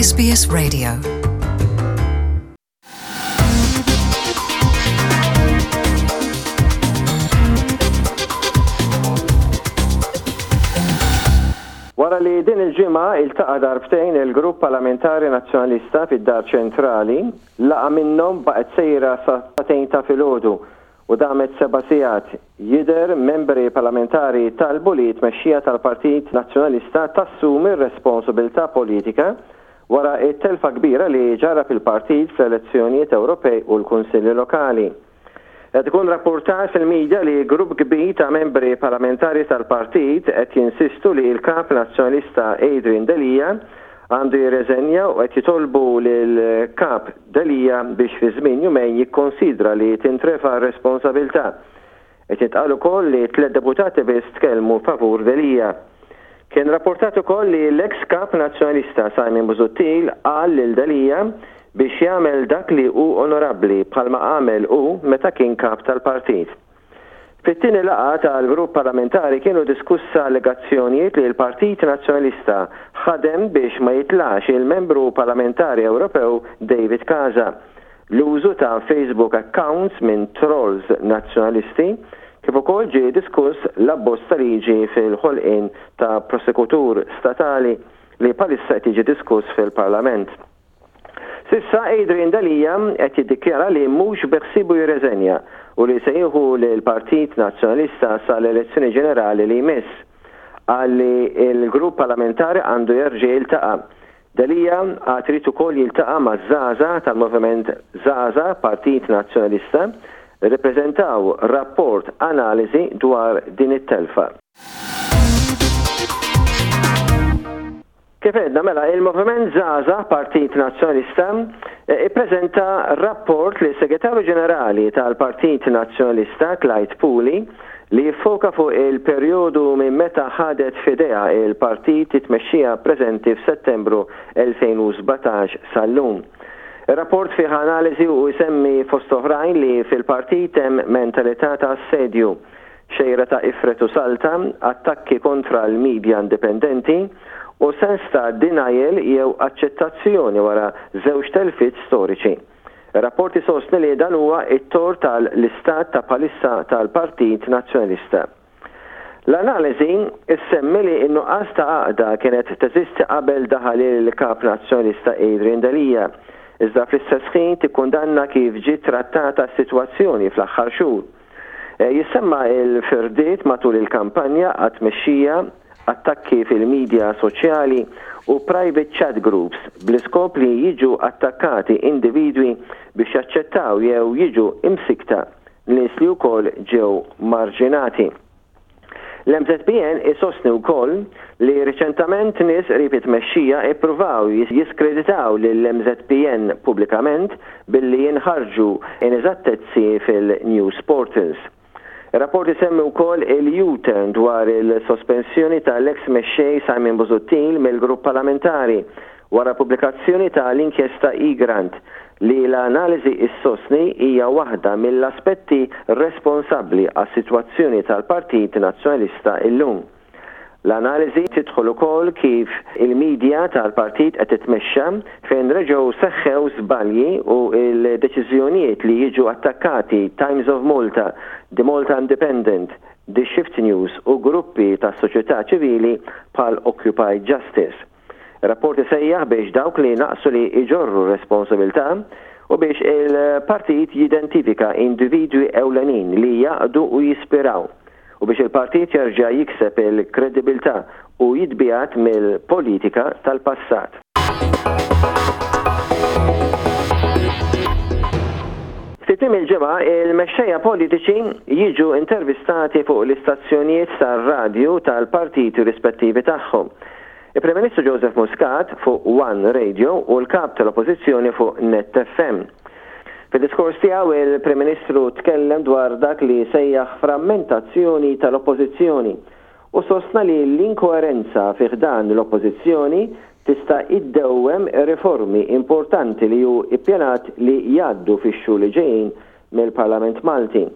SBS Radio. Wara li din il-ġimgħa iltaqa' darbtejn il-Grupp Parlamentari Nazzjonalista fid-Dar Ċentrali, laqgħa minnhom baqgħet sejra sa sagħtejn ta' filgħodu u damet seba' sigħat, jidher membri parlamentari talbu li t-tmexxija tal-Partit Nazzjonalista tassumi r-responsabiltà politika wara t-telfa kbira li ġarrab il-partit fl-elezzjonijiet Ewropej u l-Kunsilli Lokali. Qed ikun rappurtat fil-media li grupp kbir ta' membri parlamentari tal-partit qed jinsistu li l-Kap Nazzjonalista Adrian Delia għandu jirreżenja u qed jitolbu lill-Kap Delia biex fi żmien jumejn jikkonsidra li tintrefa' r-responsabilità. Qed jintqal ukoll li tlett deputati biss tkellmu favur Delia. Kien rappurtat ukoll li l-eks Kap Nazzjonalista Simon Busuttil qal lil Delia biex jagħmel dak li hu onorabbli bħalma għamel hu meta kien Kap tal-Partit. Fit-tieni laqgħa tal-grupp parlamentari kienu diskussa allegazzjonijiet li l-Partit Nazzjonalista ħadem biex ma jitlax il-Membru Parlamentari Ewropew David Casa, l-użu ta' Facebook accounts minn trolls Nazzjonalisti, kif ukoll ġie diskuss l-abbozz ta' liġi fil-ħolqien ta' prosekutur statali li bħalissa qed jiġi diskuss fil-Parlament. S'issa Adrian Delia qed jiddikjara li mhux beħsiebu jirreżenja u li se jieħu lill-Partit Nazzjonalista sal-elezzjoni ġenerali li jmiss. Qal li l-grupp parlamentari għandu jerġa' jiltaqa'. Delia għad irid ukoll jiltaqa' maż-żgħażagħ tal-Moviment Żgħażagħ Partit Nazzjonalista li ppreżentaw rapport analiżi dwar din it-telfa. Kif għedna, mela, il-Moviment Żgħażagħ Partit Nazzjonalista ippreżenta rapport lis-Segretarju Ġenerali tal-Partit Nazzjonalista Clyde Puli li jiffoka fuq il-perjodu minn meta ħadet f'idejha il-partit it-tmexxija preżenti f'Settembru 2017 sal-lum. Ir-rapport fih analiżi u jsemmi fost oħrajn li fil-partit hemm mentalità ta' assedju, xejra ta' ifred u salta, attakki kontra l-media indipendenti, u sens ta' denial jew aċċettazzjoni wara żewġ telfiet storiċi. Ir-rapport isostni li dan huwa t-tort tal-istat ta' bħalissa tal-Partit Nazzjonalista. L-analiżi ssemmi li n-nuqqas ta' għaqda kienet teżisti qabel daħal il-Kap Nazzjonalista Adrian Delia, iżda fl-istess ħin tikkundanna kif ġiet trattata s-sitwazzjoni fl-aħħar xhur. Jissemma l-firdiet matul il-kampanja għat-tmexxija, attakki fil-midja soċjali u private chat groups bl-iskop li jiġu attakkati individwi biex jaċċettaw jew jiġu imsikkta nies li wkoll ġew marġinati. L-MZPN isostni wkoll li riċentament nies qrib it-tmexxija ippruvaw jiskreditaw lill-MZPN pubblikament billi jinħarġu ineżattezzi fil-news portals. Ir-rapport isemmi wkoll il-U-turn dwar il-sospensjoni tal-eks mexxej Simon Busuttil mill-grupp parlamentari wara l-pubblikazzjoni ta' l-inkjesta Egrant, li l-analiżi issostni hija waħda mill-aspetti responsabbli għas-sitwazzjoni tal-Partit Nazzjonalista illum. L-analiżi tidħol ukoll kif il-media tal-partit qed titmexxa fejn reġgħu seħħew żbalji u l-deċiżjonijiet li jiġu attakkati Times of Malta, The Malta Independent, The Shift News u gruppi tas-soċjetà ċivili bħal Occupy Justice. Ir-rapport isejjaħ biex dawk li naqsu li jġorru r-responsabilità u biex il-partit jidentifika individwi ewlenin li jgħaqqdu u jispiraw u biex il-partit jerġa' jikseb il-kredibilità u jitbiegħed mill-politika tal-passat. Fi tmiem il-ġimgħa, il-mexxejja politiċi jiġu intervistati fuq l-istazzjonijiet tar-radju tal-partiti rispettivi tagħhom. Il-Prim Ministru Joseph Muscat fuq One Radio u l-Kap tal-Oppożizzjoni fuq Net FM. Fid-diskors tiegħu il-Prim Ministru tkellem dwar dak li sejjaħ frammentazzjoni tal-Oppożizzjoni u sostna li l-inkoerenza fi ħdan l-Oppożizzjoni tista' iddewwem riformi importanti li hu ippjanat li jgħaddu fix-xhur li ġejjin mill-Parlament Malti.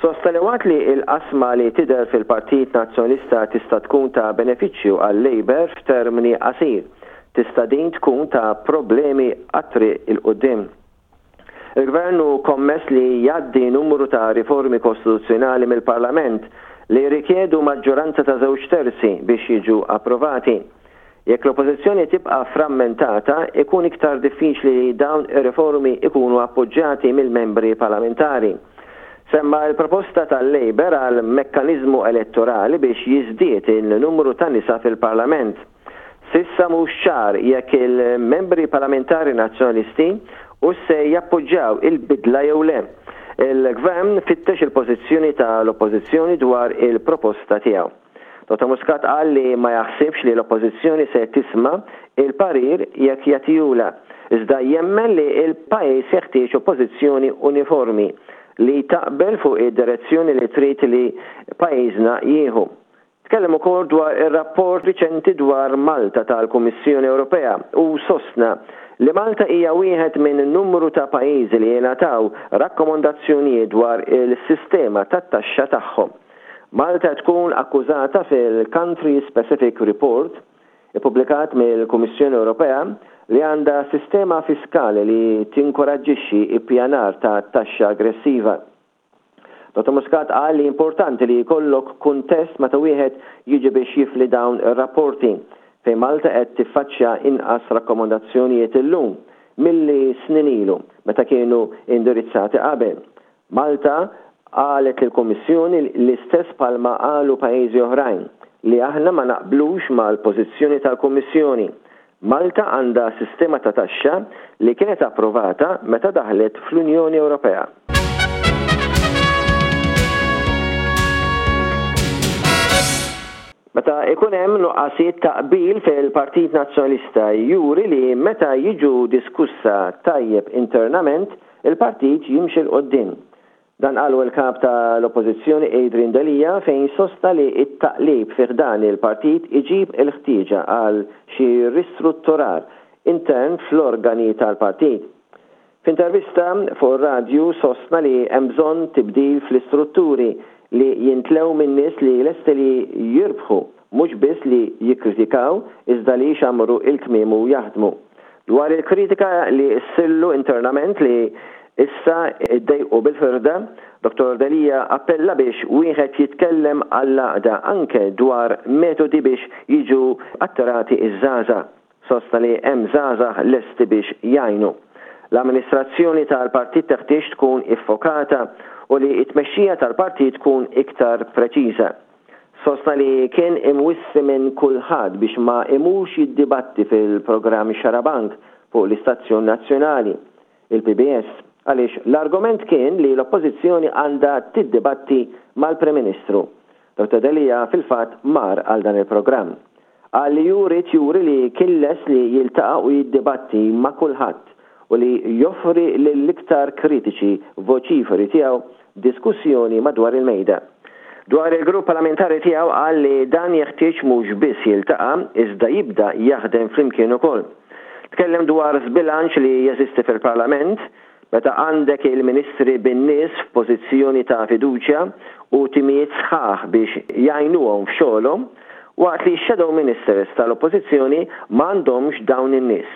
Sostna li waqt li l-qasma li tidher fil-Partit Nazzjonalista tista' tkun ta' benefiċċju għal-Labour f'termini qasir. Tista' din tkun ta' problemi għat-triq 'il quddiem. Il-Gvern hu kommess li jgħaddi numru ta' riformi kostituzzjonali mill-Parlament li jirrikjedu maġġoranza ta' żewġ terzi biex jiġu approvati. Jekk l-Oppożizzjoni tibqa' frammentata, ikun iktar diffiċli li dawn ir-riformi jkunu appoġġjati mill-membri parlamentari. Semma l-proposta tal-Labour għal mekkaniżmu elettorali biex jiżdied in-numru ta' nisa fil-Parlament. S'issa mhux ċar jekk il-membri parlamentari Nazzjonalisti hux se jappoġġjaw il-bidla jew le. Il-Gvern fittex il-pożizzjoni tal-Oppożizzjoni dwar il-proposta tiegħu. Dottor Muscat qal li ma jaħsibx li l-Oppożizzjoni se tisma' il-parir jekk jagħtihulha, iżda jemmen li l-pajjiż jeħtieġ Oppożizzjoni uniformi li taqbel fuq id-direzzjoni li trid li pajjiżna jieħu. Tkellem ukoll dwar ir-rapport riċenti dwar Malta tal-Kummissjoni Ewropea u sostna li Malta hija wieħed minn numru ta' pajjiżi li ngħataw rakkomondazzjonijiet dwar il-sistema tat-taxxa tagħhom. Malta tkun akkużata fil-Country Specific Report ippubblikat mill-Kummissjoni Ewropea li għandha sistema fiskali li tinkoraġġixxi ippjanar ta' taxxa aggressiva. Dottor Muscat qal li importanti li jkollok kuntest meta wieħed jiġi biex jifli dawn ir-rapporti, fejn Malta qed tiffaċċja inqas rakkomandazzjonijiet illum milli snin ilu meta kienu indirizzati qabel. Malta qalet lill-Kummissjoni l-istess bħalma qalu pajjiżi oħrajn, li aħna ma naqblux mal-pożizzjoni tal-Kummissjoni. Malta għandha sistema ta' taxxa li kienet approvata meta daħlet fl-Unjoni Ewropea. Meta ikun hemm nuqqasijiet ta' qbil fil-Partit Nazzjonalista juri li meta jiġu diskussa tajjeb internament, Il-partit jimxi 'l quddiem. Dan qalu l-Kap ta' l-Oppożizzjoni Adrian Delia fejn sostna li t-taqlib fi ħdan il-partit iġib il-ħtieġa għal xi ristrutturar intern fl-organi tal-partit. F'intervista fuq ir-radju sostna li hemm bżonn tibdil fl-istrutturi li jintlew minn nies li lesti li jirbħu mhux biss li jikkritikaw iżda li jxammru l-kmiem u jaħdmu. Dwar il-kritika li ssirlu internament li issa ddejqu bil-firda, Dottor Delia appella biex wieħed jitkellem għall-għaqda anke dwar metodi biex jiġu attirati ż-żgħażagħ. Sostna li hemm żgħażagħ lesti biex jgħinu. L-amministrazzjoni tal-partit teħtieġ tkun iffokata u li t-tmexxija tal-partit tkun iktar preċiża. Sostna li kien imwissi minn kulħadd biex ma imurx jiddibatti fil-programm Xarabank fuq l-istazzjon nazzjonali, il-PBS, għaliex l-argument kien li l-Oppożizzjoni għandha tiddibatti mal-Prim Ministru. Dottor Delia fil-fatt mar għal dan il-programm. Qal li hu ried juri li kien lest li jiltaqa' u jiddibatti ma' kulħadd u li joffri lill-iktar kritiċi voċiferi tiegħu diskussjoni madwar il-mejda. Dwar il-grupp parlamentari tiegħu qal li dan jeħtieġ mhux biss jiltaqa' iżda jibda jaħdem flimkien ukoll. Tkellem dwar żbilanċ li jeżisti fil-Parlament meta għandek il-Ministri bin-nies f'pożizzjoni ta' fiduċja u timijiet sħaħ biex jgħinuhom f'xogħolhom waqt li x-shadow ministers tal-Oppożizzjoni m'għandhomx dawn in-nies.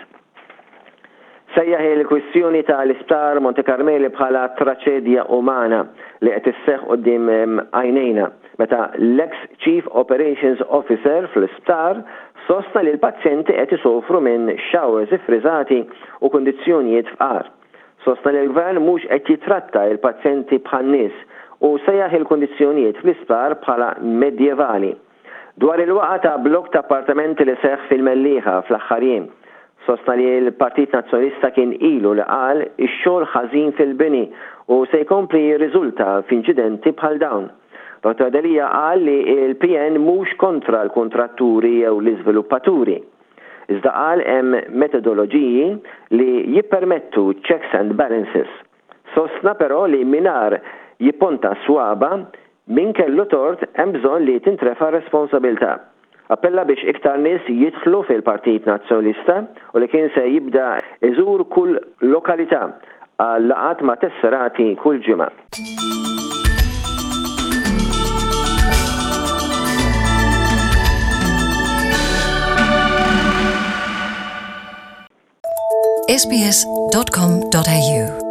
Sejjaħ il-kwistjoni ta' l-Isptar Monte Carmeli bħala traċedja umana li qed isseħħ quddiem għajnejna meta l-eks Chief Operations Officer fl-isptar sostna li l-pazjenti qed isofru minn showers iffriżati u kundizzjonijiet fqar. Sostna li l-Gvern mhux qed jitratta l-pazjenti bħan-nies u sejjaħ il-kundizzjonijiet fl-isptar bħala medjevali. Dwar il-waqgħa ta' blokk ta' appartamenti li seħħ fil-Mellieħa fl-aħħar jiem, sostna li l-Partit Nazzjonalista kien ilu li qal ix-xogħol ħażin fil-bini u se jkompli jirriżulta f'inċidenti bħal dawn. Dottor Delia qal li l-PN mhux kontra l-kuntratturi jew l-iżviluppaturi. Iżda qal hemm metodoloġiji li jippermettu checks and balances. Sostna però li mingħajr jipponta s-swaba' min kellu tort hemm bżonn li tintrefa' r-responsabilità. Appella biex iktar nies jidħlu fil-Partit Nazzjonalista u li kien se jibda jżur kull lokalità għal laqgħat ma' tesserati kull ġimgħa. sbs.com.au.